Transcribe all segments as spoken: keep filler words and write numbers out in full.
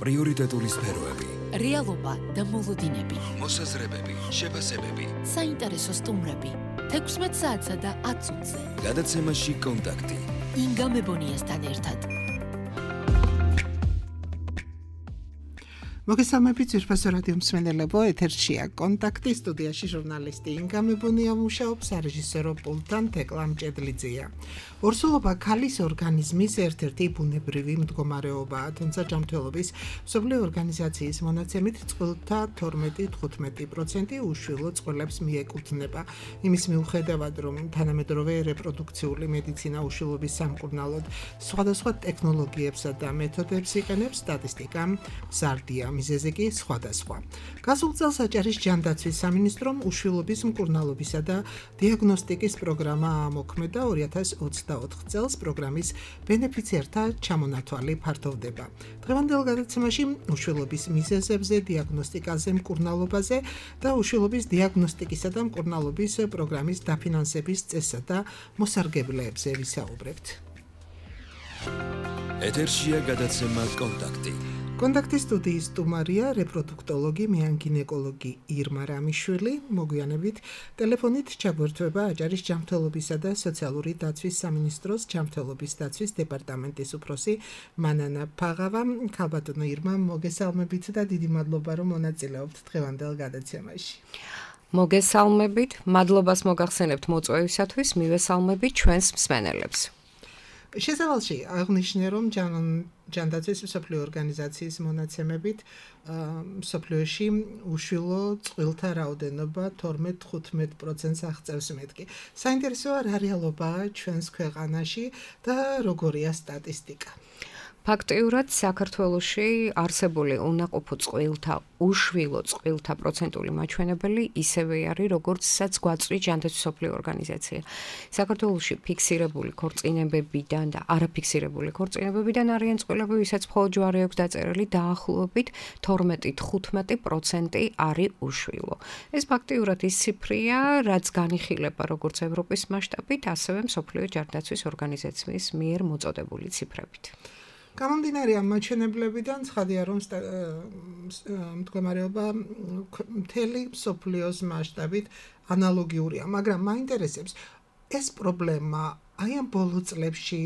პრიორიტეტული სფეროები, რეალობა და მოლოდინები, მოსაზრებები, შეფასებები, საინტერესო სტუმრები, თექვსმეტ საათსა და ათ წუთზე. გადაცემაში კონტაქტი. ინგა მებონიასთან ერთად. მოგესალმებით ძვირფასო რადიო მსმენელებო, ეთერშია კონტაქტი, სტუდიაში ჟურნალისტი ინგა მებონია მუშაობს, სარეჟისორო პულტთან თეკლა მჭედლიძეა. ორსულობა ქალის ორგანიზმის ერთ-ერთი ბუნებრივი მდგომარეობაა, თუმცა ჯანმრთელობის მსოფლიო ორგანიზაციის მონაცემით წყვილთა თორმეტი თხუთმეტი პროცენტი უშვილო წყვილებს მიეკუთვნება. იმის მიუხედავად, რომ თანამედროვე რეპროდუქციული მედიცინა უშვილობის სამკურნალოდ სხვადასხვა ტექნოლოგიებსა და მეთოდებს იყენებს, სტატისტიკა მზარდია. მიზეზი კი სხვადასხვა. გასულ წელს აჭარის ჯანდაცვის სამინისტრომ უშვილობის მკურნალობისა და დიაგნოსტიკის პროგრამა ამოქმედა. ორი ათას ოცდაოთხ წელს პროგრამის ბენეფიციართა ჩამონათვალი ფართოვდება. დღევანდელ გადაცემაში უშვილობის მიზეზებზე, დიაგნოსტიკაზე, მკურნალობაზე და უშვილობის დიაგნოსტიკისა და მკურნალობის პროგრამის დაფინანსების წესსა და მოსარგებლეებზე ვისაუბრებთ. ეთერშია გადაცემა კონტაქტი. კონტაქტის სტუდიის სტუმარია რეპროდუქტოლოგი, მეანგინეკოლოგი ირმა რამიშვილი. მოგვიანებით ტელეფონით ჩაგვერთვება აჭარის ჯანმრთელობისა და სოციალური დაცვის სამინისტროს ჯანმრთელობის დაცვის დეპარტამენტის უფროსი მანანა ფაღავა. ქალბატონო ირმა, მოგესალმებით და დიდი მადლობა, რომ მონაწილეობთ დღევანდელ გადაცემაში. მოგესალმებით, მადლობას მოგახსენებთ მოწვევისათვის, მივესალმებით ჩვენს მსმენელებს. შესავალში აღნიშნე, რომ ჯანდაცვის მსოფლიო ორგანიზაციის მონაცემებით მსოფლიოში უშვილო წყვილთა რაოდენობა თორმეტ თხუთმეტ პროცენტს აღწევს მეთქი. საინტერესოა რა რეალობაა ჩვენს ქვეყანაში და როგორია სტატისტიკა. ფაქტიურად საქართველოში არსებული უნაყოფო წყვილთა, უშვილო წყვილთა პროცენტული მაჩვენებელი ისევე არის, როგორცაც გვაწვდის ჯანდაცვის მსოფლიო ორგანიზაცია. საქართველოში ფიქსირებული ქორწინებებიდან და არაფიქსირებული ქორწინებებიდან არიან წყვილები, ვისაც მხოლოდ ჯვარი აქვს დაწერილი, დაახლოებით თორმეტი თხუთმეტი პროცენტი არის უშვილო. ეს ფაქტიურად ის ციფრია, რაც განიხილება როგორც ევროპის მასშტაბით, ასევე მსოფლიო ჯანდაცვის ორგანიზაციის მიერ მოწოდებული ციფრებით. გამომდინარე ამ მაჩვენებლებიდან ცხადია, რომ მდგომარეობა მთელი მსოფლიოს მასშტაბით ანალოგიურია, მაგრამ მაინტერესებს ეს პრობლემა აი ამ ბოლო წლებში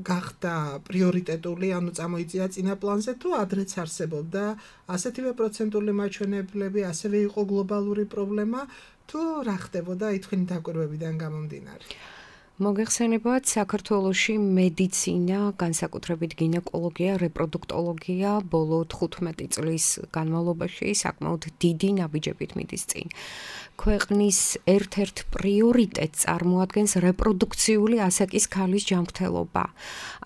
გახდა პრიორიტეტული, ანუ წამოიწია წინა პლანზე, თუ ადრეც არსებობდა ასეთივე პროცენტული მაჩვენებლები, ასევე იყო გლობალური პრობლემა, თუ რა ხდებოდა აი თქვენი დაკვირვებიდან გამომდინარე? მოგეხსენებათ, საქართველოში მედიცინა, განსაკუთრებით გინეკოლოგია, რეპროდუქტოლოგია ბოლო თხუთმეტი წლის განმავლობაში საკმაოდ დიდი ნაბიჯებით მიდის წინ. ქვეყნის ერთ-ერთ პრიორიტეტს წარმოადგენს რეპროდუქციული ასაკის ქალის ჯანმრთელობა.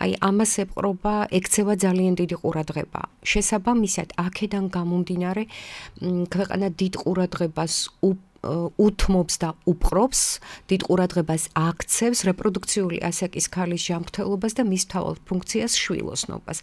აი ამას ეპყრობა, ექცევა ძალიან დიდი ყურადღება. შესაბამისად, აქედან გამომდინარე, ქვეყანა დიდ ყურადღებას უთმობს და უპყრობს, დიდ ყურადღებას აქცევს რეპროდუქციული ასაკის ქალის ჯანმრთელობას და მის მთავარ ფუნქციას შვილოსნობას.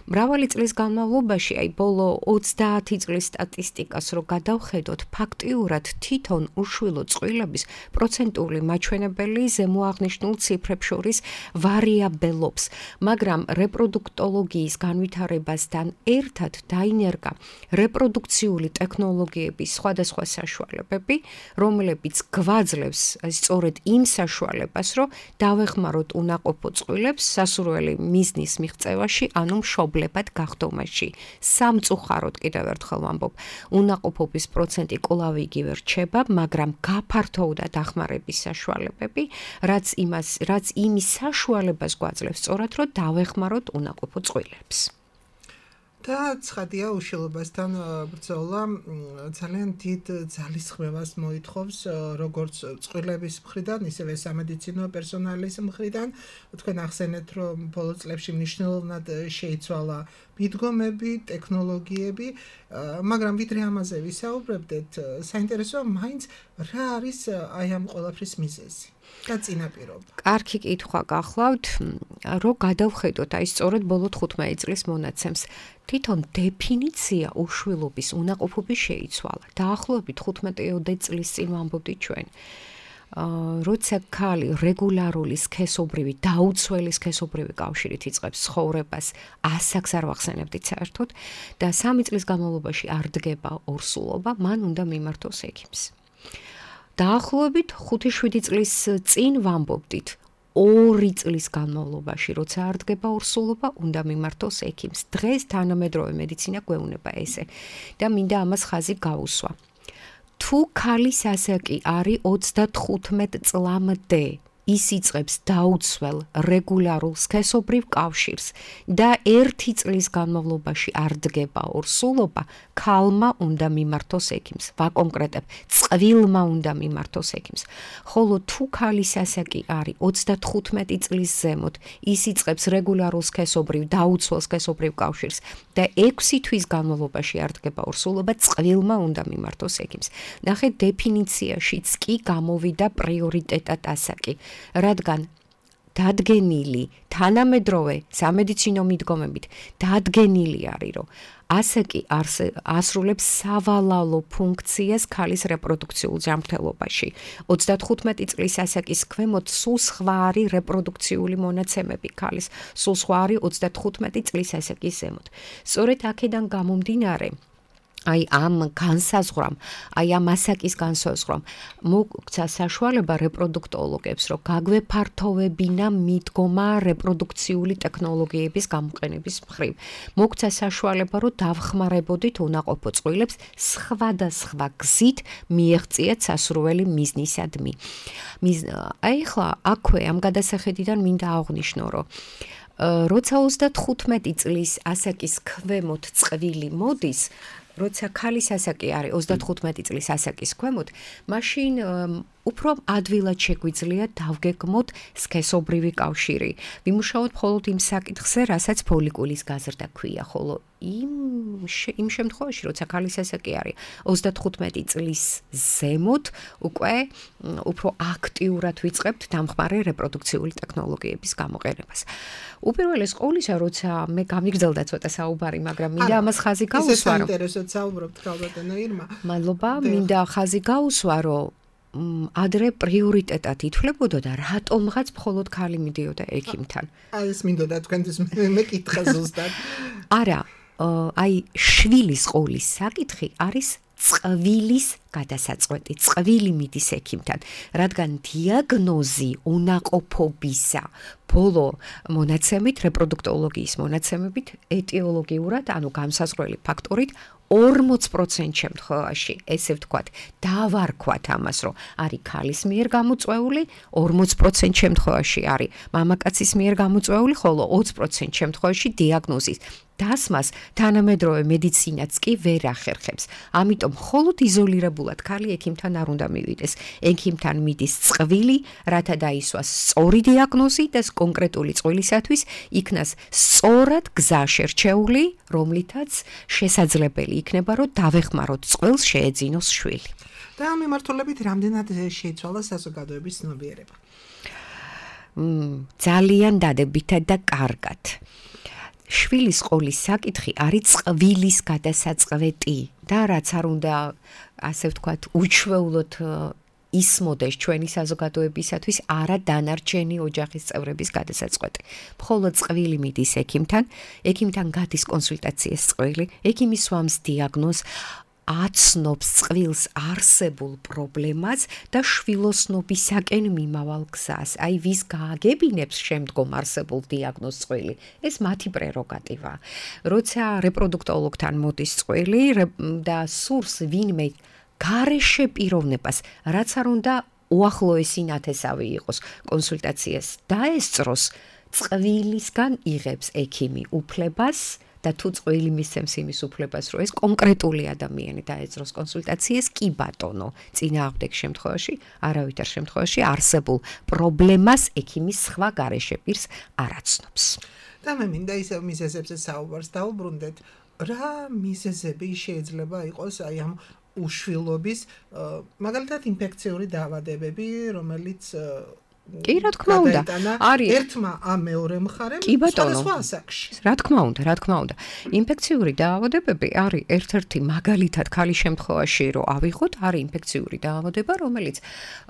მრავალი წლის განმავლობაში, აი ბოლო ოცდაათი წლის სტატისტიკას რო გადავხედოთ, ფაქტიურად თვითონ უშვილო წყვილების პროცენტული მაჩვენებელი ზემოაღნიშნულ ციფრებს შორის ვარიაბელობს, მაგრამ რეპროდუქტოლოგიის განვითარებასთან ერთად დაინერგა რეპროდუქციული ტექნოლოგიების სხვადასხვა საშუალებები, რომლებიც გვაძლევს სწორედ იმ საშუალებას, რომ დავეხმაროთ უნაყოფო წყვილებს სასურველი მიზნის მიღწევაში, ანუ მშობლებად გახდომაში. სამწუხაროდ კიდევ ერთხელ ვამბობ, უნაყოფობის პროცენტი კვლავ იგივე რჩება, მაგრამ გაფართოვდა დახმარების საშუალებები, რაც იმას, რაც იმის საშუალებას გვაძლევს სწორად, რომ დავეხმაროთ უნაყოფო წყვილებს. და ცხადია, უშვილობასთან ბრძოლა ძალიან დიდ ძალისხმევას მოითხოვს, როგორც წყვილების მხრიდან, ისევე სამედიცინო პერსონალის მხრიდან. თქვენ ახსენეთ, რომ ბოლო წლებში მნიშვნელოვნად შეიცვალა მიდგომები, ტექნოლოგიები, მაგრამ ვიდრე ამაზე ვისაუბრებდეთ, საინტერესოა მაინც რა არის აი ამ ყველაფრის მიზეზი და წინაპირობა. კარგი კითხვა გახლავთ, რომ გადავხედოთ აი სწორედ ბოლო თხუთმეტი წლის მონაცემს. თვითონ დეფინიცია უშვილობის უნაყოფობის შეიცვალა. დაახლოებით თხუთმეტი წლის წინ ვამბობდით ჩვენ. როცა ქალი რეგულარული სქესობრივი დაუცველი სქესობრივი კავშირით იწყებს ცხოვრებას, ასაკს არ ვახსენებდით საერთოდ და სამი წლის განმავლობაში არ დგება ორსულობა, მან უნდა მიმართოს ექიმს. დაახლოებით ხუთი შვიდი წლის წინ ვამბობდით, ორი წლის განმავლობაში, როცა არ დგება ორსულობა, უნდა მიმართოს ექიმს. დღეს თანამედროვე მედიცინა გვეუბნება ესე და მინდა ამას ხაზი გავუსვა. თუ ქალის ასაკი არის ოცდათხუთმეტ წლამდე, ის იწყებს დაუცველ რეგულარულ სქესობრივ კავშირს და ერთი წლის განმავლობაში არ დგება ორსულობა, ქალმა უნდა მიმართოს ექიმს. ვაკონკრეტებ, წყვილმა უნდა მიმართოს ექიმს. ხოლო თუ ქალის ასაკი არის ოცდათხუთმეტი წლის ზემოთ, ის იწყებს რეგულარულ სქესობრივ დაუცველ სქესობრივ კავშირს და ექვსი თვის განმავლობაში არ დგება ორსულობა, წყვილმა უნდა მიმართოს ექიმს. ნახეთ, დეფინიციაშიც კი გამოვიდა პრიორიტეტად ასაკი. რადგან დადგენილი თანამედროვე სამედიცინო მიდგომებით დადგენილი არის, რომ ასაკი ასრულებს სავალალო ფუნქციას ქალის რეპროდუქციულ ჯანმრთელობაში. ოცდათხუთმეტი წლის ასაკის ქვემოთ სულ სხვა არის რეპროდუქციული მონაცემები ქალის, სულ სხვა არის ოცდათხუთმეტი წლის ასაკის ზემოთ. სწორედ აქედან გამომდინარე, აი ამ განსაზღვრამ, აი ამ ასაკის განსაზღვრამ მოგცა საშუალება რეპროდუქტოლოგებს, რომ გაგვეფართოვებინა მიდგომა რეპროდუქციული ტექნოლოგიების გამოყენების მხრივ. მოგცა საშუალება, რომ დავხმარებოდით უნაყოფო წყვილებს სხვადასხვა გზით მიეღწიათ სასურველი მიზნისადმი. აი ახლა აქვე ამ გადასახედიდან მინდა აღვნიშნო, რომ როცა ოცდათხუთმეტი წლის ასაკის ქვემოთ წყვილი მოდის, როცა ქალის ასაკი არის ოცდათხუთმეტი წლის ასაკის ქვემოთ, მაშინ უფრო ადვილად შეგვიძლია დავგეგმოთ სქესობრივი კავშირი. ვიმუშაოთ მხოლოდ იმ საკითხზე, რასაც ფოლიკულის გაზრდა ქვია, ხოლო იმ იმ შემთხვევაში, როცა ქალის ასაკი არის ოცდათხუთმეტი წლის ზემოთ, უკვე უფრო აქტიურად ვიწყებთ დამხმარე რეპროდუქციული ტექნოლოგიების გამოყენებას. უპირველეს ყოვლისა, როცა მე გამიგრძელდა ცოტა საუბარი, მაგრამ მინდა ამას ხაზი გავუსვა, რომ საინტერესოდ საუბრობთ ქალბატონო ირმა. მადლობა, მინდა ხაზი გავუსვა, რომ ადრე პრიორიტეტად ითვლებოდა და რატომღაც მხოლოდ ქალი მიდიოდა ექიმთან. აი ეს მინდოდა თქვენთვის მეკითხა ზუსტად. არა, აი შვილის ყოლის საკითხი არის წყვილის გადასაწყვეტი, წყვილი მიდის ექიმთან, რადგან დიაგნოზი უნაყოფობისა ბოლო მონაცემით, რეპროდუქტოლოგიის მონაცემებით, ეტიოლოგიურად, ანუ განსაზღვრელი ფაქტორით ორმოც პროცენტ შემთხვევაში, ესე ვთქვათ, დავარქვათ ამას, რომ არის ქალის მიერ გამოწვეული, ორმოც პროცენტ შემთხვევაში არის მამაკაცის მიერ გამოწვეული, ხოლო ოცი პროცენტ შემთხვევაში დიაგნოზის დასმას თანამედროვე მედიცინაც კი ვერ ახერხებს. ამიტომ მხოლოდ იზოლირებულად ქალი ექიმთან არ უნდა მივიდეს. ექიმთან მიდის წყვილი, რათა დაისვას სწორი დიაგნოზი და კონკრეტული წყვილისათვის იქნას სწორად გზა შერჩეული, რომლითაც შესაძლებელი იქნება, რომ დავეხმაროთ წყვილს შეეძინოს შვილი. და ამ მიმართულებით რამდენად შეიცვალა საზოგადოების ცნობიერება? ძალიან დადებითად და კარგად. შვილის ყოლის საკითხი არის წყვილის გადასაწყვეტი და რაც არ უნდა, ასე ვთქვათ, უჩვეულოდ ისმოდეს ჩვენი საზოგადოებისათვის არა დანარჩენი ოჯახის წევრების გადასაწყვეტი. მხოლოდ წყვილი მიდის ექიმთან, ექიმთან გადის კონსულტაციას წყვილი, ექიმი სვამს დიაგნოზს, აცნობს წყვილს არსებულ პრობლემას და შვილოსნობისაკენ მიმავალ გზას. აი ვის გააგებინებს შემდგომ არსებულ დიაგნოზს წყვილი, ეს მათი პრეროგატივა. როცა რეპროდუქტოლოგთან მოდის წყვილი და სურს ვინმე გარეშე პიროვნებას, რაც არ უნდა უახლოესი ნათესავი იყოს კონსულტაციას დაესწროს, წვილისგან იღებს ექიმი უფლებას და თუ წყვილი მისცემს იმის უფლებას, რომ ეს კონკრეტული ადამიანი დაეძროს კონსულტაციას, კი ბატონო, წინააღმდეგ შემთხვევაში, არავითარ შემთხვევაში არსებულ პრობლემას ექიმის სხვა გარეშე პირს არ აცნობს. და მე მინდა ისევ მიზეზებზე საუბარს დავუბრუნდეთ, რა მიზეზები შეიძლება იყოს აი ამ უშვილობის, მაგალითად ინფექციური დაავადებები, რომელიც კი, რა თქმა უნდა. არის ერთმა ამ მეორე მხარემ სხვადასხვა ასაკში. რა თქმა უნდა, რა თქმა უნდა. ინფექციური დაავადებები არის ერთ-ერთი მაგალითად ქალის შემთხვევაში, რომ ავიღოთ, არის ინფექციური დაავადება, რომელიც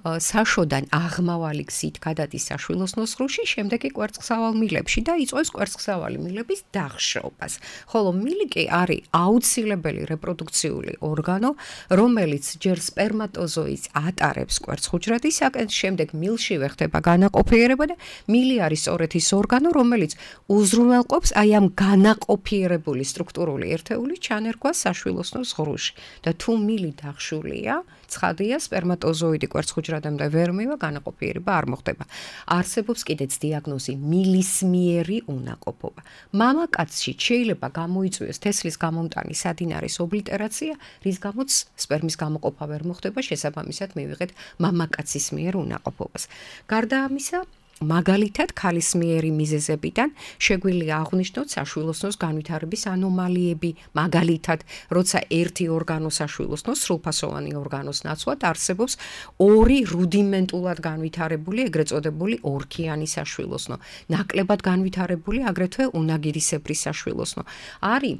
საშოდან აღმავალი გზით გადადის საშვილოსნო სხეულში, შემდეგ კი კვერცხსავალ მილებში და იწვევს კვერცხსავალი მილების დახშობას. ხოლო მილი კი არის აუცილებელი რეპროდუქციული ორგანო, რომელიც ჯერ სპერმატოზოიდს ატარებს კვერცხუჯრედისაკენ, შემდეგ მილშივე ხდება განაყოფიერება და მილი არის სწორედ ის ორგანო, რომელიც უზრუნველყოფს აი ამ განაყოფიერებული სტრუქტურული ერთეულის ჩანერგვას საშვილოსნო სხეულში. და თუ მილი დახშულია, ცხადია სპერმატოზოიდი კვერცხუჯრედამდე ვერ მივა, განაყოფიერება არ მოხდება. არსებობს კიდეც დიაგნოზი მილისმიერი უნაყოფობა. მამაკაცში შეიძლება გამოიწვიოს თესლის გამომტანი სადინარის ობლიტერაცია, რის გამოც სპერმის გამოყოფა ვერ მოხდება, შესაბამისად მივიღეთ მამაკაცის მიერ უნაყოფობას. გარდა ამისა, მაგალითად, ქალისმიერი მიზეზებიდან შეგვიძლია აღვნიშნოთ საშვილოსნოს განვითარების ანომალიები, მაგალითად, როცა ერთი ორგანო საშვილოსნო, სრულფასოვანი ორგანოს ნაცვლად არსებობს ორი რუდიმენტულად განვითარებული, ეგრეთ წოდებული ორქიანი საშვილოსნო, ნაკლებად განვითარებული, აგრეთვე უნაგირისებრი საშვილოსნო. არის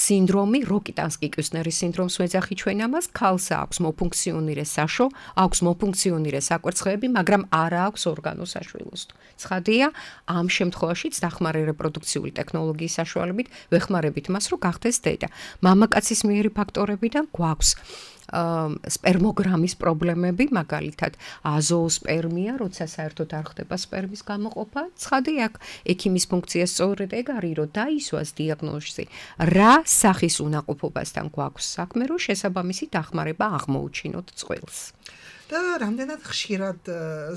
სინდრომი, როკიტანსკი-კიუსნერის სინდრომს ვეძახი ჩვენ ამას, ქალს აქვს მოფუნქციონირე საშო, აქვს მოფუნქციონირე საკვერცხეები, მაგრამ არა აქვს ორგანო საშვილოსნო. ცხადია, ამ შემთხვევაშიც დახმარე რეპროდუქციული ტექნოლოგიის საშუალებით ვეხმარებით მას, რომ გახდეს დედა. მამაკაცის მიერი ფაქტორებიდან გვაქვს სპერმოგრამის პრობლემები, მაგალითად, აზოოსპერმია, როცა საერთოდ არ ხდება სპერმის გამოყოფა. ცხადია, ექიმის ფუნქცია სწორედ ეგ არის, რომ დაისვას დიაგნოზი, რა სახის უნაყოფობასთან გვაქვს საქმე, რომ შესაბამისი დახმარება აღმოუჩინოთ წყვილს. და რამდენად ხშირად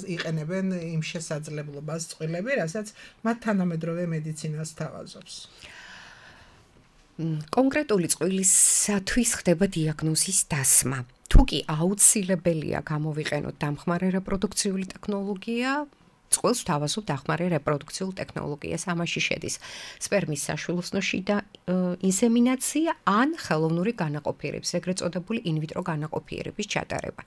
იყენებენ იმ შესაძლებლობას წყვილები, რასაც მათ თანამედროვე მედიცინას თავაზობს. კონკრეტული წყვილისათვის ხდება დიაგნოზის დასმა. თუ კი აუცილებელია გამოვიყენოთ დამხმარე რეპროდუქციული ტექნოლოგია, წყვილს თავაზობ დახმარე რეპროდუქციულ ტექნოლოგიას, ამაში შედის სპერმის საშვილოსნოში და ინსემინაცია ან ხელოვნური განაყოფიერების, ეგრეთ წოდებული ინვიტრო განაყოფიერების ჩატარება.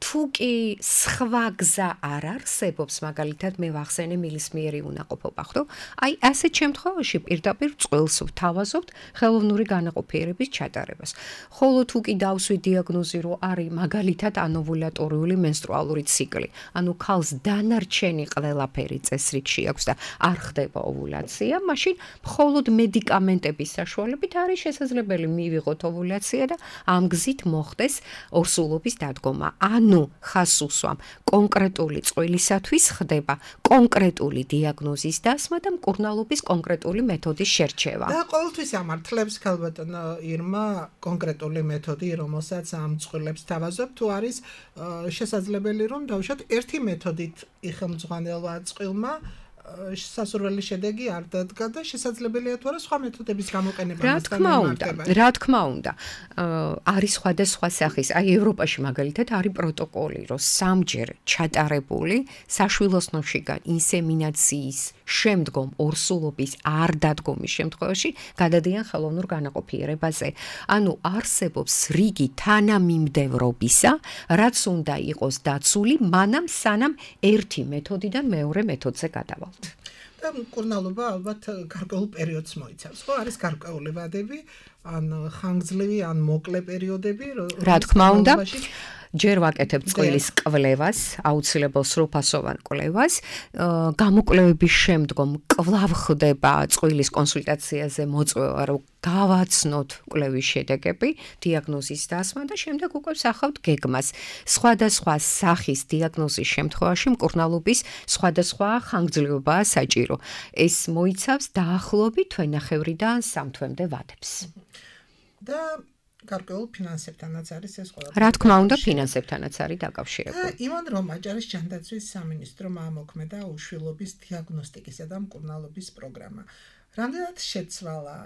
თუ კი სხვა გზა არ არსებობს, მაგალითად, მე ვახსენე მილისმიერი უნაყოფობა, ხო? აი, ასეთ შემთხვევაში პირდაპირ წყვილს ვთავაზობთ ხელოვნური განაყოფიერების ჩატარებას. ხოლო თუ კი დავსვი დიაგნოზი, რომ არის მაგალითად ანოვულატორიული მენსტრუალური ციკლი, ანუ ქალს დანარჩენი ყველაფერი წესრიგში აქვს და არ ხდება ოვულაცია, მაშინ მხოლოდ მედიკამენტების საშუალებით არის შესაძლებელი მივიღოთ ოვულაცია და ამ გზით მოხდეს ორსულობის დადგომა. ანუ ხას უსვამ კონკრეტული წყვილისათვის ხდება კონკრეტული დიაგნოზის დასმა და მკურნალობის კონკრეტული მეთოდის შერჩევა. და ყოველთვის ამართლებს ქალბატონო ირმა კონკრეტული მეთოდი, რომელსაც ამ წყვილებს თავაზობთ, თუ არის შესაძლებელი რომ დავუშვათ ერთი მეთოდით იხელმძღვანელობა წყვილმა სასურველი შედეგი არ დადგა და შესაძლებელია თუ არა სხვა მეთოდების გამოყენება მასთან მიმართება. რა თქმა უნდა, არის სხვადასხვა სახის. აი ევროპაში მაგალითად არის პროტოკოლი, რომ სამჯერ ჩატარებული საშვილოსნოშიგან ინსემინაციის შემდგომ ორსულობის არ დადგომის შემთხვევაში გადადიან ხელოვნურ განაყოფიერებაზე. ანუ არსებობს რიგი თანამიმდევრობისა, რაც უნდა იყოს დაცული მანამ სანამ ერთი მეთოდიდან მეორე მეთოდზე გადავალთ. და მკურნალობა ალბათ გარკვეულ პერიოდს მოიცავს, ხო? არის გარკვეული ვადები, ან ხანგრძლივი, ან მოკლე პერიოდები, რა თქმა უნდა. ჯერ ვაკეთებ წყვილის კვლევას, აუცილებელ სრულფასოვან კვლევას, გამოკვლევების შემდგომ კვლავ ხდება წყვილის კონსულტაციაზე მოწვევა, რომ გავაცნოთ კვლევის შედეგები, დიაგნოზის დასმა და შემდეგ უკვე ვსახავთ გეგმას. სხვადასხვა სახის დიაგნოზის შემთხვევაში მკურნალობის სხვადასხვა ხანგრძლივობაა საჭირო. ეს მოიცავს დაახლოებით თვენახევრიდან სამ თვემდე ვადებს. და გარკვეულ ფინანსებთანაც არის ეს ყველა. რა თქმა უნდა, ფინანსებთანაც არის დაკავშირებული. იმან რომ აჭარის ჯანდაცვის სამინისტრომ ამოქმედა უშვილობის დიაგნოსტიკისა და მკურნალობის პროგრამა. რამდენად შეცვალა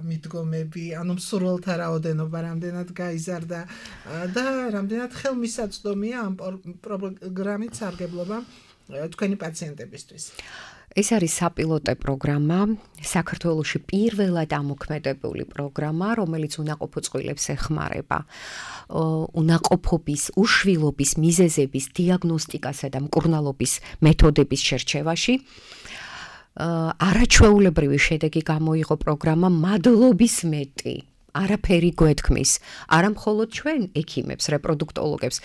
მიდგომები, ანუ მსურველთა რაოდენობა რამდენად გაიზარდა და რამდენად ხელმისაწვდომია ამ პროგრამით სარგებლობა თქვენი პაციენტებისთვის? ეს არის საპილოტო პროგრამა, საქართველოში პირველად ამოქმედებული პროგრამა, რომელიც უნაყოფო წყვილებს ეხმარება. უნაყოფობის, უშვილობის მიზეზების დიაგნოსტიკასა და მკურნალობის მეთოდების შერჩევაში. არაჩვეულებრივი შედეგი გამოიღო პროგრამა მადლობის მეტი. არაფერი გვეთქმის, არა მხოლოდ ჩვენ ექიმებს, რეპროდუქტოლოგებს,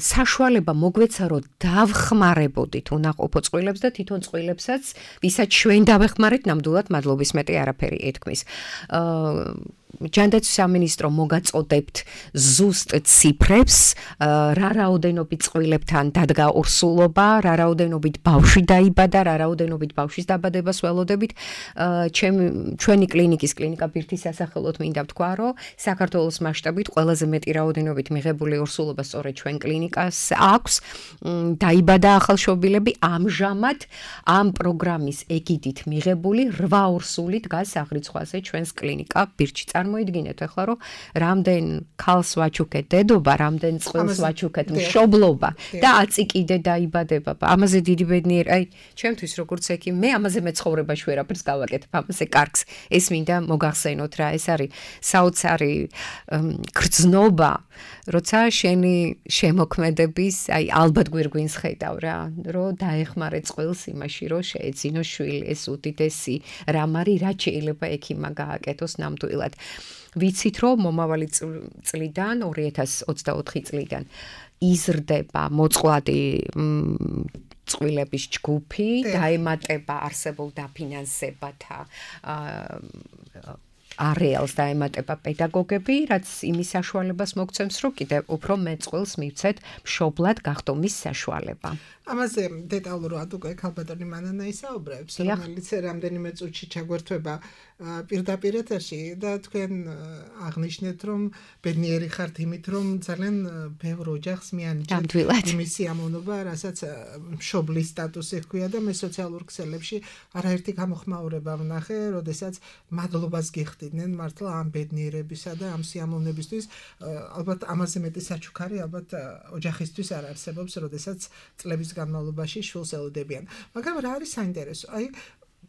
საშუალება მოგვეცა, რომ დავხმარებოდით უნაყოფო წყვილებს და თვითონ წყვილებსაც, ვისაც ჩვენ დავეხმარეთ, ნამდვილად მადლობის მეტი არაფერი ეთქმის. ჯანდაცვის სამინისტრო მოგაწოდებთ ზუსტ ციფრებს, რა რაოდენობით წყვილებთან დადგა ორსულობა, რა რაოდენობით ბავშვი დაიბადა, რა რაოდენობით ბავშვის დაბადებას ველოდებით. ჩვენი კლინიკის კლინიკა ბირთის სასახელოდ მინდა ვთქვა, რომ საქართველოს მასშტაბით ყველაზე მეტი რაოდენობით მიღებული ორსულობა სწორედ ჩვენ კლინიკას აქვს. დაიბადა ახალშობილები, ამჟამად ამ პროგრამის ეგიდით მიღებული რვა ორსული დგას აღრიცხვაზე ჩვენს კლინიკა ბირთში. მოიდგინეთ ახლა რომ რამდენ ქალს ვაჩუქეთ დედობა, რამდენ წყვილს ვაჩუქეთ მშობლობა და აწი კიდე დაიბადება. ამაზე დიდი ბედნიერი, აი, ჩემთვის როგორც ექიმი, მე ამაზე მეცხოვრებაში ვერაფერს გავაკეთებ, ამაზე კარგს. ეს მინდა მოგახსენოთ რა, ეს არის საოცარი გრძნობა, როცა შენი შემოქმედების, აი, ალბათ გვირგვინს ხედავ რა, რომ დაეხმარე წყვილს იმაში, რომ შეეძინო შვილი, ეს უდიდესი რამ არის, რაც შეიძლება ექიმმა გააკეთოს ნამდვილად. ვიცით, რომ მომავალი წლიდან, ორი ათას ოცდაოთხი წლიდან იზრდება მოწყვლადი წყვილების ჯგუფი, დაემატება არსებულ დაფინანსებათა არეალს დაემატება პედაგოგები, რაც იმის საშუალებას მოგცემს, რომ კიდევ უფრო მეტ წყვილს მივცეთ მშობლად გახდომის საშუალება. ამაზე დეტალურად უკვე ქალბატონი მანანა ისაუბრებს, რომელიც რამდენიმე წუთში ჩაგვერთვება პირდაპირ ეთერში და თქვენ აღნიშნეთ, რომ ბედნიერი ხართ იმით, რომ ძალიან ბევრ ოჯახს მიანიჭეთ იმის სიამოვნობა, რასაც მშობლის სტატუსი ჰქვია და მე სოციალურ ქსელებში არაერთი გამოხმაურება ვნახე, როდესაც მადლობას გიხდიდნენ მართლა ამ ბედნიერებისა და ამ სიამოვნებისთვის. ალბათ ამაზე მეტი საჩუქარი ალბათ ოჯახისთვის არ არსებობს, როდესაც წლების განმავლობაში შვილს ელოდებიან. მაგრამ რა არის საინტერესო? აი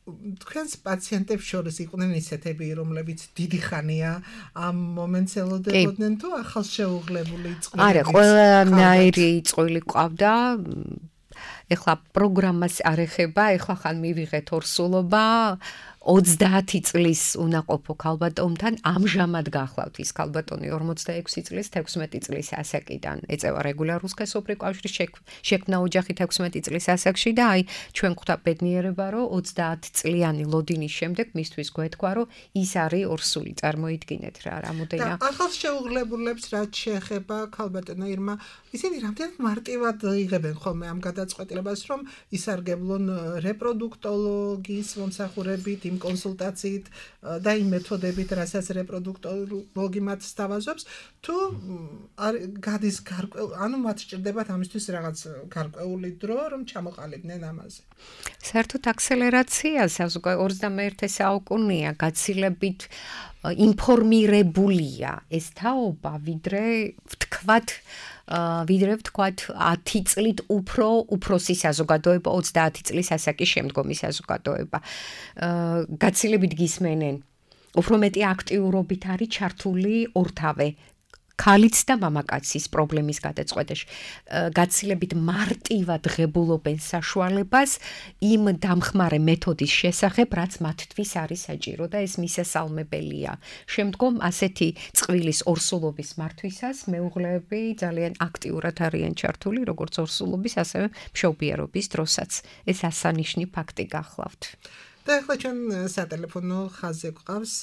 თქვენს პაციენტებს შორის იყვნენ ისეთები, რომლებიც დიდი ხანია ამ მომენტს ელოდებოდნენ თუ ახალშეუღლებული წყვილები? არა, ყველანაირი წყვილი ყავდა. ეხლა პროგრამას არ ეხება, ეხლა ხან მივიღეთ ორსულობა. ოცდაათი წლის უნაყოფო ქალბატონთან ამჟამად გახლავთ ის ქალბატონი ორმოცდაექვსი წლის თექვსმეტი წლის ასაკიდან ეწევა რეგულარულ სქესობრივ კავშირს შექმნა ოჯახი თექვსმეტი წლის ასაკში და აი ჩვენ ხვდა ბედნიერება რომ ოცდაათი წლიანი ლოდინის შემდეგ მისთვის გვეთქვა რომ ის არის ორსული წარმოიდგინეთ რა რამოდენია და ახალშეუღლებულებს რაც შეეხება ქალბატონო ირმა ისინი რამდენად მარტივად იღებენ ხოლმე ამ გადაწყვეტილებას რომ ისარგებლონ რეპროდუქტოლოგიის მომსახურებით იმ კონსულტაციით და იმ მეთოდებით, რასაც რეპროდუქტოლოგი მათ სთავაზობს, თუ გადის გარკვეული, ანუ მათ სჭირდებათ ამისთვის რაღაც გარკვეული დრო, რომ ჩამოყალიბდნენ ამაზე. საერთოდ აქსელერაცია ოცდამეერთე საუკუნეა, გაცილებით ინფორმირებულია ეს თაობა, ვიდრე ვთქვათ ვიდრე ვთქვათ ათი წლით უფრო უფროსი საზოგადოება ოცდაათი წლის ასაკის შემდგომი საზოგადოება. გაცილებით გისმენენ. უფრო მეტი აქტიურობით არის ჩართული ორთავე ქალიც და მამაკაცის პრობლემის გადაწყვეტაში. გაცილებით მარტივად ღებულობენ საშუალებას იმ დამხმარე მეთოდის შესახებ, რაც მათთვის არის საჭირო და ეს მისასალმებელია. შემდგომ ასეთი წყვილის ორსულობის მართვისას მეუღლეები ძალიან აქტიურად არიან ჩართული, როგორც ორსულობის, ასევე მშობიარობის დროსაც. ეს ასანიშნი ფაქტი გახლავთ. და ახლა ჩვენ სატელეფონო ხაზზე გვყავს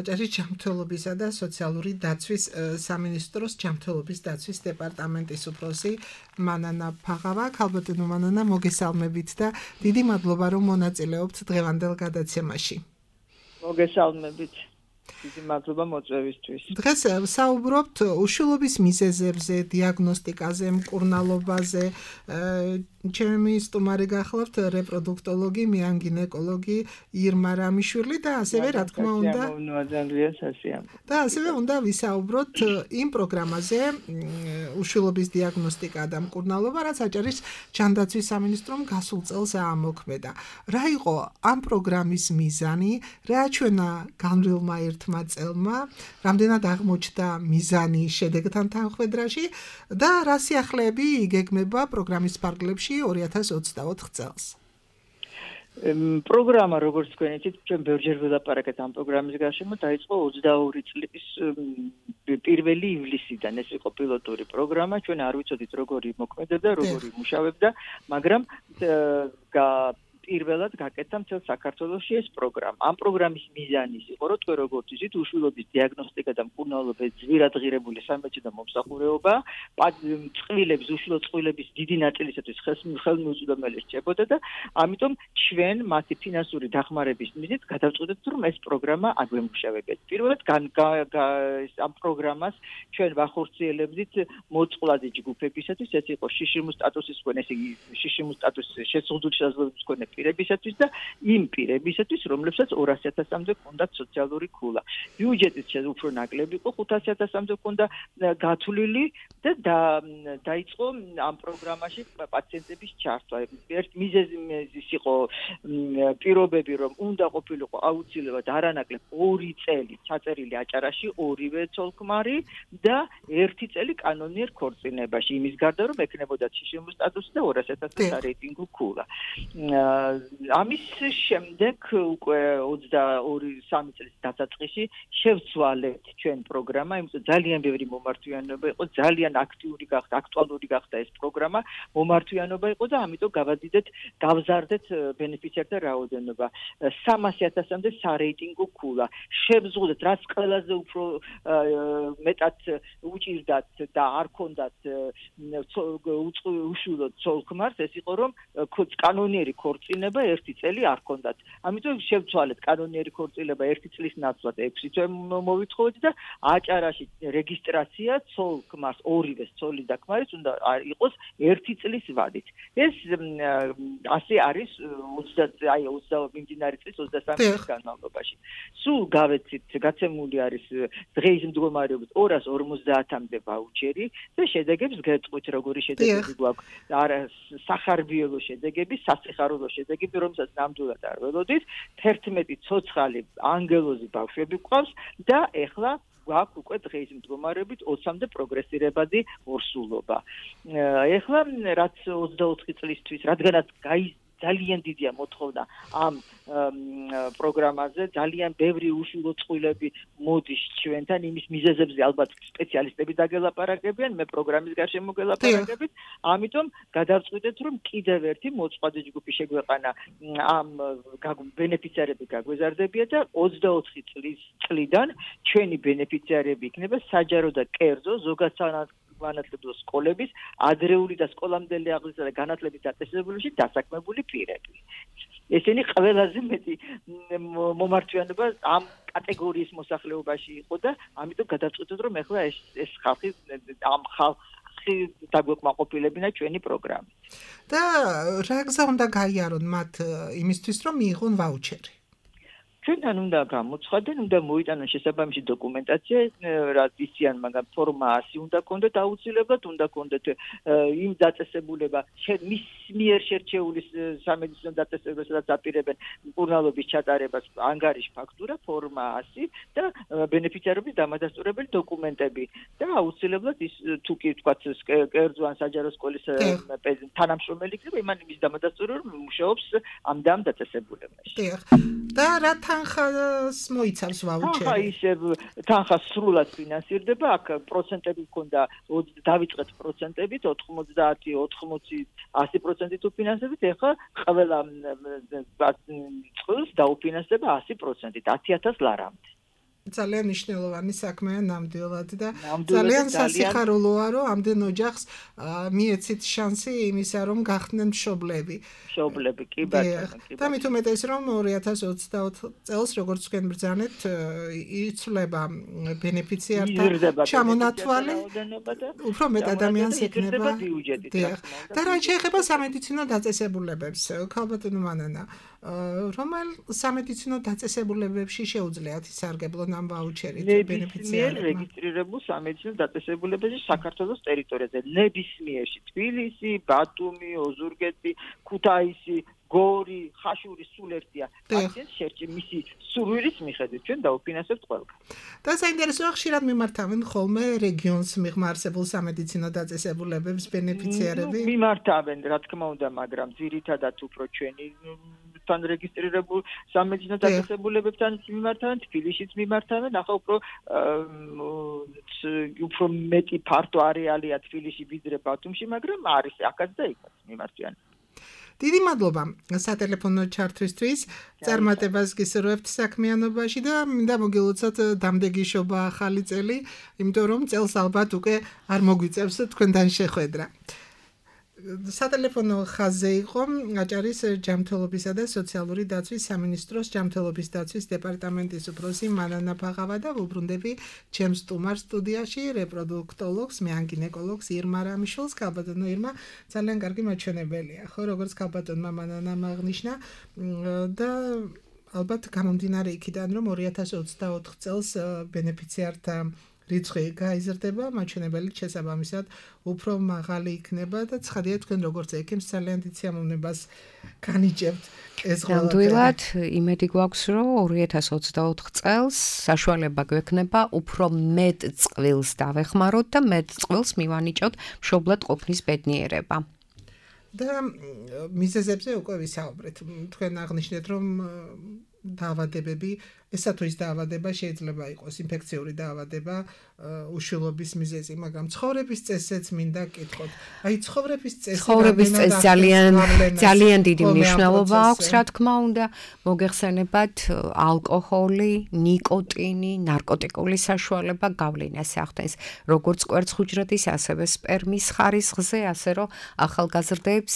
აჭარის ჯანმრთელობისა და სოციალური დაცვის სამინისტროს ჯანმრთელობის დაცვის დეპარტამენტის უფროსი მანანა ფაღავა. ქალბატონო მანანა, მოგესალმებით და დიდი მადლობა რომ მონაწილეობთ დღევანდელ გადაცემაში. მოგესალმებით. დიდი მადლობა მოწვევისთვის. დღეს საუბრობთ უშვილობის მიზეზებზე, დიაგნოსტიკაზე, მკურნალობაზე. ჩემი სტუმარი გახლავთ რეპროდუქტოლოგი, მიანგინეკოლოგი ირმა რამიშვილი და ასევე რა თქმა უნდა და ასევე უნდა ვისაუბროთ იმ პროგრამაზე უშვილობის დიაგნოსტიკა და მკურნალობა, რაც აჭარის ჯანდაცვის სამინისტრომ გასულ წელს აამოქმედა. რა იყო ამ პროგრამის მიზანი, რა აჩვენა განვლილმა ერთმა წელმა, რამდენად აღმოჩნდა მიზანი შედეგთან თანხვედრაში და რა სიახლეები იგეგმება პროგრამის ფარგლებში ორი ათას ოცდაოთხ წელს. პროგრამა, როგორც თქვენ იცით, ჩვენ ბევრჯერ ვილაპარაკეთ ამ პროგრამის გარშემო, დაიწყო ოცდაორი წლის პირველი ივლისიდან. ეს იყო პილოტური პროგრამა, ჩვენ არ ვიცოდით როგორი მოქმედებდა, როგორი მუშავებდა, მაგრამ პირველად გაკეთდა მთელ საქართველოში ეს პროგრამა. ამ პროგრამის მიზანი იყო, რომ თქვენ როგორც იცით, უშვილობის დიაგნოსტიკა და მკურნალობის ძვირადღირებული სამედიცინო მომსახურეობა წყვილების, უშვილო წყვილების დიდი ნაწილისათვის ხელმისაწვდომელი რჩებოდა და ამიტომ ჩვენ მათი ფინანსური დახმარების მიზნით გადავწყვიტეთ, რომ ეს პროგრამა აგვემუშავებთ. პირველად ამ პროგრამას ჩვენ ვახორციელებდით მოწყვლადი ჯგუფებისათვის, ეს იყო შიშიმუს სტატუსის მქონე, ესე იგი შიშიმუს სტატუსის შეზღუდული შესაძლებლობის მქონე პირებისათვის და იმ პირებისათვის, რომლებსაც ორასი ათასამდე ჰქონდათ სოციალური ქულა. ბიუჯეტიც უფრო ნაკლები იყო, ხუთასი ათასამდე ჰქონდა გათვლილი და დაიწყო ამ პროგრამაში პაციენტების ჩართვა. ერთ მიზეზი იყო პირობები, რომ უნდა ყოფილიყო აუცილებლად არანაკლებ ორი წელი ჩაწერილი აჭარაში, ორივე ცოლ-ქმარი და ერთი წელი კანონიერ ქორწინებაში. იმის გარდა, რომ ექნებოდა შიშიმუს სტატუსი და ორასი ათასი სარეიტინგო ქულა. ამის შემდეგ უკვე ოცდაორი სამი წლის დასაწყისში შევცვალეთ ჩვენ პროგრამა, იმიტომ ძალიან ბევრი მომართვიანობა იყო, ძალიან აქტიური გახდა, აქტუალური გახდა ეს პროგრამა, მომართვიანობა იყო და ამიტომ გავადიდეთ, გავზარდეთ ბენეფიციართა რაოდენობა. სამასი ათასამდე სარეიტინგო ქულა. შევზღუდეთ, რაც ყველაზე უფრო მეტად უჭირდათ და არ ქონდათ უშვილო ცოლ-ქმარს, ეს იყო რომ კანონიერი ქორწინება ერთი წელი არ ქონდათ. ამიტომ შევცვალეთ კანონიერი ქორწინება ერთი წლის ნაცვლად ექვსი თვე მოვითხოვეთ და აჭარაში რეგისტრაცია ცოლ-ქმარს, ორივე ცოლი და ქმარის უნდა იყოს ერთი წლის ვადით. ეს ასე არის ოცდა მიმდინარე წლის ოცდასამი წლის განმავლობაში. სულ გავეცით, გაცემული არის დღეის მდგომარეობით ორას ორმოცდაათამდე ვაუჩერი და შედეგებს გეტყვით, როგორი შედეგები გვაქვს. სახარბიელო შედეგები, სასიხარულო შედეგები, რომელსაც ნამდვილად არ ველოდით, თერთმეტი ცოცხალი ანგელოზი ბავშვები გვყავს და ეხლა გვაქვს უკვე დღეის მდგომარეობით ოცამდე პროგრესირებადი ორსულობა. ეხლა რაც ოცდაოთხი წლისთვის, რადგანაც გაი ძალიან დიდია მოთხოვნა ამ პროგრამაზე, ძალიან ბევრი უშვილო წყვილები მოდის ჩვენთან, იმის მიზეზებზე ალბათ სპეციალისტები დაგელაპარაკებიან, მე პროგრამის გარშემო გელაპარაკებით, ამიტომ გადავწყვიტეთ, რომ კიდევ ერთი მოწყვლადი ჯგუფი შეგვეყანა ამ ბენეფიციარები გაგვეზარდებია და ოცდაოთხი წლის წლიდან ჩვენი ბენეფიციარები იქნება საჯარო და კერძო ზოგადსანადირო განათლების სკოლების ადრეული და სკოლამდელი აღზრდა და განათლების დაწესებულებაში დასაქმებული პირები. ესენი ყველაზე მეტი მომართვიანობა ამ კატეგორიის მოსახლეობაში იყო და ამიტომ გადავწყვიტეთ, რომ ეხლა ეს ეს ხალხი ამ ხალხი დაგვეკმაყოფილებინა ჩვენი პროგრამით. და რა გზა უნდა გაიარონ მათ იმისთვის, რომ მიიღონ ვაუჩერი? ჩვენთან უნდა გამოცხადდნენ, უნდა მოიტანონ შესაბამისი დოკუმენტაცია, რაც იციან, მაგრამ ფორმა ასი უნდა კონდეთ აუცილებლად, უნდა კონდეთ იმ დაწესებულება, მის მიერ შერჩეული სამედიცინო დაწესებულება, სადაც აპირებენ მკურნალობის ჩატარებას, ანგარიშ ფაქტურა, ფორმა ასი და ბენეფიციარების დამადასტურებელი დოკუმენტები და აუცილებლად ის თუ კი თქვათ კერძო ან საჯარო სკოლის თანამშრომელი იქნება, იმან იმის დამადასტურებელი რომ მუშაობს ამ და ამ დაწესებულებაში. და რა თანხას მოიცავს ვაუჩერი? თანხა ისევ თანხა სრულად ფინანსირდება, აქ პროცენტები ჰქონდა, დავიწყეთ პროცენტებით, ოთხმოცდაათი, ოთხმოცი, ასი პროცენტი თუ ფინანსებით, ეხლა ყველა წყვილს დაუფინანსდება ასი პროცენტით, ათი ათას ლარამდე. ძალიან მნიშვნელოვანი საქმეა ნამდვილად და ძალიან სასიხარულოა რომ ამდენ ოჯახს მიეცით შანსი იმისა რომ გახდნენ მშობლები. მშობლები კი ბატონო კი. და მით უმეტეს რომ ორი ათას ოცდაოთხ წელს როგორც თქვენ ბრძანეთ იცვლება ბენეფიციართა ჩამონათვალი უფრო მეტ ადამიანს ექნება. და რაც შეეხება სამედიცინო დაწესებულებებს ქალბატონო მანანა რომელ სამედიცინო დაწესებულებებში შეუძლიათ ისარგებლონ ამ ვაუჩერით ბენეფიციარებმა? რეგისტრირებულ სამედიცინო დაწესებულებებში საქართველოს ტერიტორიაზე ნებისმიერში თბილისი, ბათუმი, ოზურგეთი, ქუთაისი, გორი, ხაშური სულ ერთია. აქეთ შერჩი მისი სურვილის მიხედვით ჩვენ დაუფინანსებთ ყველგან. და საინტერესოა ხშირად მიმართავენ ხოლმე რეგიონს მიღმარსებულ სამედიცინო დაწესებულებებს ბენეფიციარები? მიმართავენ, რა თქმა უნდა, მაგრამ ძირითადად უფრო ჩვენი თან რეგისტრირებულ სამედიცინო დაწესებულებებთან მიმართავენ, თბილისშიც მიმართავენ, ახლა უფრო უფრო მეტი ფართო არეალია თბილისში ვიდრე ბათუმში, მაგრამ არის აქაც და იქაც მიმართვიან. დიდი მადლობა სატელეფონო ჩართვისთვის, წარმატებას გისურვებთ საქმიანობაში და მინდა მოგილოცოთ დამდეგიშობა ახალი წელი, იმიტომ რომ წელს ალბათ უკვე არ მოგვიწევს თქვენთან შეხვედრა. სატელეფონო ხაზზე იყო აჭარის ჯანმრთელობისა და სოციალური დაცვის სამინისტროს ჯანმრთელობის დაცვის დეპარტამენტის უფროსი მანანა ფაღავა და ვუბრუნდები ჩემს სტუმარ სტუდიაში რეპროდუქტოლოგს, მეანგინეკოლოგს ირმა რამიშვილს. ქალბატონო ირმა ძალიან კარგი მაჩვენებელია, ხო, როგორც ქალბატონმა მანანამ აღნიშნა და ალბათ გამომდინარე იქიდან რომ ორი ათას ოცდაოთხ წელს ბენეფიციართა რიცხვი გაიზრდება, მაჩვენებელი შესაბამისად უფრო მაღალი იქნება და ცხადია თქვენ როგორც ექიმს ძალიან დიდ სიამოვნებას განიჭებთ ეს ყველა. ნამდვილად იმედი გვაქვს რომ ორი ათას ოცდაოთხ წელს საშუალება გვექნება უფრო მეტ წყვილს დავეხმაროთ და მეტ წყვილს მივანიჭოთ მშობლად ყოფნის ბედნიერება. და მიზეზებზე უკვე ვისაუბრეთ. თქვენ აღნიშნეთ რომ დაავადებები, ესა თუ ის დაავადება შეიძლება იყოს ინფექციური დაავადება, უშვილობის მიზეზი, მაგრამ ცხოვრების წესზეც მინდა გკითხოთ. აი ცხოვრების წესი ცხოვრების წესს ძალიან ძალიან დიდი მნიშვნელობა აქვს, რა თქმა უნდა, მოგეხსენებათ ალკოჰოლი, ნიკოტინი, ნარკოტიკული საშუალება გავლენას ახდენს, როგორც კვერცხუჯრედის, ასევე სპერმის ხარისხზე, ასე რომ ახალგაზრდებს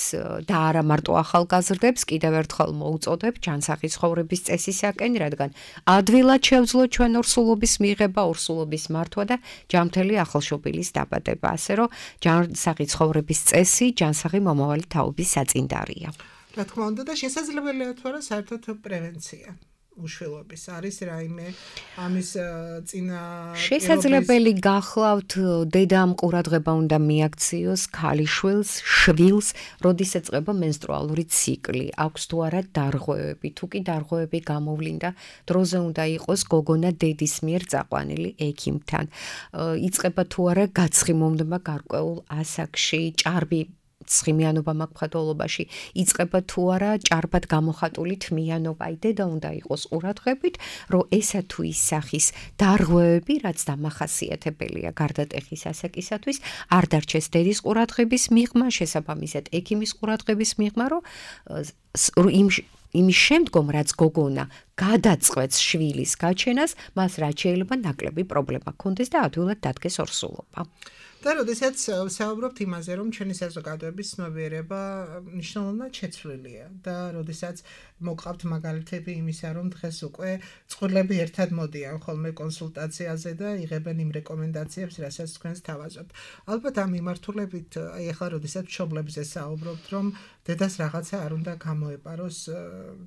და არა მარტო ახალგაზრდებს კიდევ ერთხელ მოუწოდებ ჯანსაღი ცხოვრების წესისაკენ, რადგან ადვილად შევძლო ჩვენ ორსულობის მიღება, ორსულობის მართვა და ჯანმრთელი ახალშობილის დაბადება, ასე რომ ჯანსაღი ცხოვრების წესი, ჯანსაღი მომავალი თაობის საწინდარია. რა თქმა უნდა და შესაძლებელია თუ არა საერთოდ პრევენცია უშვილობის არის რაიმე ამის წინა შესაძლებელი გახლავთ დედამ ყურადღება უნდა მიაქციოს ქალიშვილს, შვილს, როდესაც წება მენსტრუალური ციკლი, აქვს თუ არა დარღვევები, თუ კი დარღვევები გამოვლინდა, დროზე უნდა იყოს გოგონა დედის მიერ წაყვანილი ექიმთან. იწყება თუ არა გაცხიმოვნება გარკვეულ ასაკში, ჭარბი ცხიმიანობა მაგფათოლობაში იწყება თუ არა ჭარბად გამოხატული თმიანობა, აი დედა უნდა იყოს ყურადღებით, რომ ესა თუ ის სახის დარღვევები, რაც დამახასიათებელია გარდატეხის ასაკისათვის, არ დარჩეს დედის ყურადღების მიღმა, შესაბამისად ექიმის ყურადღების მიღმა, რომ იმ იმის შემდგომ, რაც გოგონა გადაწყვეტს შვილის გაჩენას, მას რაც შეიძლება ნაკლები პრობლემა ჰქონდეს და ადვილად დადგეს ორსულობა. და როდესაც საუბრობთ იმაზე, რომ ჩვენი საზოგადოების ცნობიერება მნიშვნელოვნად შეცვლილია და როდესაც მოგყავთ მაგალითები იმისა, რომ დღეს უკვე წყვილები ერთად მოდიან ხოლმე კონსულტაციაზე და იღებენ იმ რეკომენდაციებს, რასაც თქვენს თავაზობთ. ალბათ ამ მიმართულებით, აი ახლა როდესაც მშობლებზე საუბრობთ, რომ დედას რაღაცა არ უნდა გამოეპაროს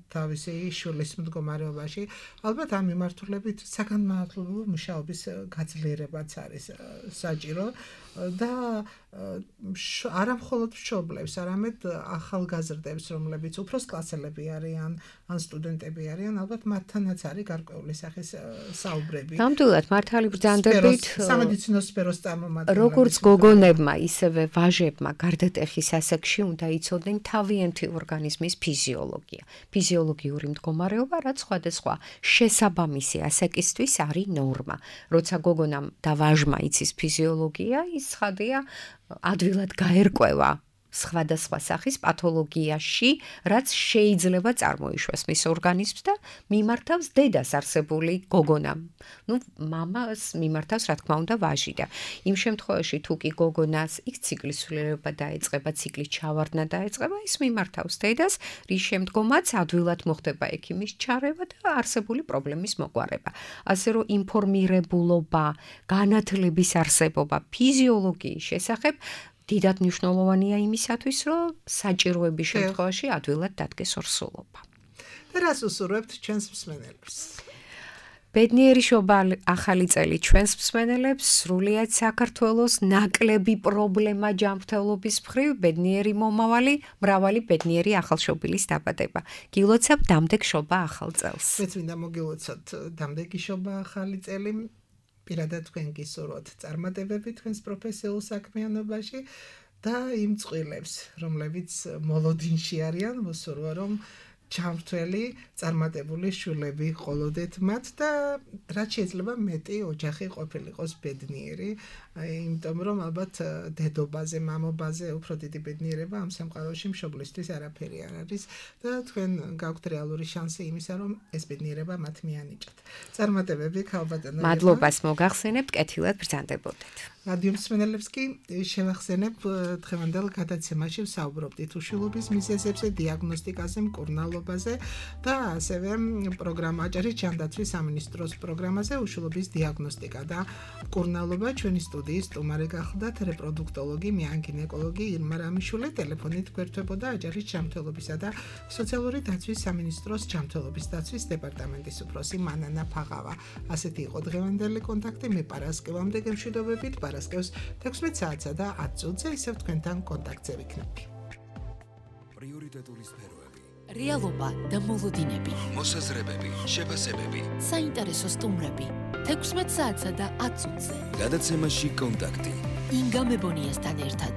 თავისი შვილის მდგომარეობაში, ალბათ ამ მიმართულებით საგანმანათლებლო მუშაობის გაძლიერებაც არის საჭირო. და არა მხოლოდ მშობლებს, არამედ ახალგაზრდებს, რომლებიც უფროსკლასელები არიან, ან სტუდენტები არიან, ალბათ მათთანაც არის გარკვეული სახის საუბრები. ნამდვილად მართალი ბრძანდებით სამედიცინო სფეროს წარმომადგენლები. როგორც გოგონებმა, ისევე ვაჟებმა გარდატეხის ასაკში უნდა იცოდნენ თავიანთი ორგანიზმის ფიზიოლოგია. ფიზიოლოგიური მდგომარეობა, რაც სხვადასხვა შესაბამისი ასაკისთვის არის ნორმა. როცა გოგონამ და ვაჟმა იცის ფიზიოლოგია, ის ცხადია ადვილად გაერკვევა სხვადასხვა სახის პათოლოგიაში, რაც შეიძლება წარმოიშვას მის ორგანიზმს და მიმართავს დედას არსებული გოგონამ. ნუ მამას მიმართავს რა თქმა უნდა ვაჟი და იმ შემთხვევაში თუ კი გოგონას იქ ციკლის სრულება დაეწყება, ციკლის ჩავარდნა დაეწყება, ის მიმართავს დედას, რის შემდგომაც ადვილად მოხდება ექიმის ჩარევა და არსებული პრობლემის მოგვარება. ასე რომ ინფორმირებულობა, განათლების არსებობა ფიზიოლოგიის შესახებ დიდად მნიშვნელოვანია იმისათვის, რომ საჭიროების შემთხვევაში ადვილად დადგეს ორსულობა. და რას უსურვებთ ჩვენს მსმენელებს? ბედნიერი შობა ახალი წელი ჩვენს მსმენელებს, სრულიად საქართველოს ნაკლები პრობლემა ჯანმრთელობის მხრივ, ბედნიერი მომავალი, მრავალი ბედნიერი ახალშობილის დაბადება. გილოცავ დამდეგ შობა ახალ წელს. მეც მინდა მოგილოცოთ დამდეგი შობა ახალი წელი. პირადად თქვენ გისურვოთ წარმატებები თქვენს პროფესიულ საქმიანობაში და იმ წყვილებს, რომლებიც მოლოდინში არიან, მოსურვა რომ ჩამრთველი, წარმატებული შვილები ყოლოდეთ მათ და რაც შეიძლება მეტი ოჯახი ყოფილიყოს ბედნიერი, იმიტომ რომ ალბათ დედობაზე, მამობაზე უფრო დიდი ბედნიერება ამ სამყაროში მშობლისთვის არაფერი არ არის და თქვენ გაქვთ რეალური შანსი იმისა, რომ ეს ბედნიერება მათ მიანიჭათ. წარმატებები ქალბატონო. მადლობას მოგახსენებთ, კეთილად ბრძანდებოდეთ. რადიო მსმენელებს კი შევახსენებ დღევანდელ გადაცემაში ვსაუბრობდით უშვილობის მიზეზებზე, დიაგნოსტიკაზე, მკურნალობაზე და ასევე პროგრამა აჭარის ჯანდაცვის სამინისტროს პროგრამაზე უშვილობის დიაგნოსტიკა და მკურნალობა. ჩვენი სტუდიის სტუმარი გახლდათ რეპროდუქტოლოგი, მიანგინეკოლოგი ირმა რამიშვილი. ტელეფონით გვერდებოდა აჭარის ჯანმრთელობისა და სოციალური დაცვის სამინისტროს ჯანმრთელობის დაცვის დეპარტამენტის უფროსი მანანა ფაღავა. ასეთი იყო დღევანდელი კონტაქტი. მე პარასკევამდე გემშვიდობებით. პარასკევს თექვსმეტ საათსა და ათ წუთზე ისევ თქვენთან კონტაქტზე ვიქნები. პრიორიტეტული სფეროები, რეალობა და მოლოდინები, მოსაზრებები, შეფასებები, საინტერესო სტუმრები, თექვსმეტ საათსა და ათ წუთზე. გადაცემაში კონტაქტი. ინგა მებონიასთან ერთად.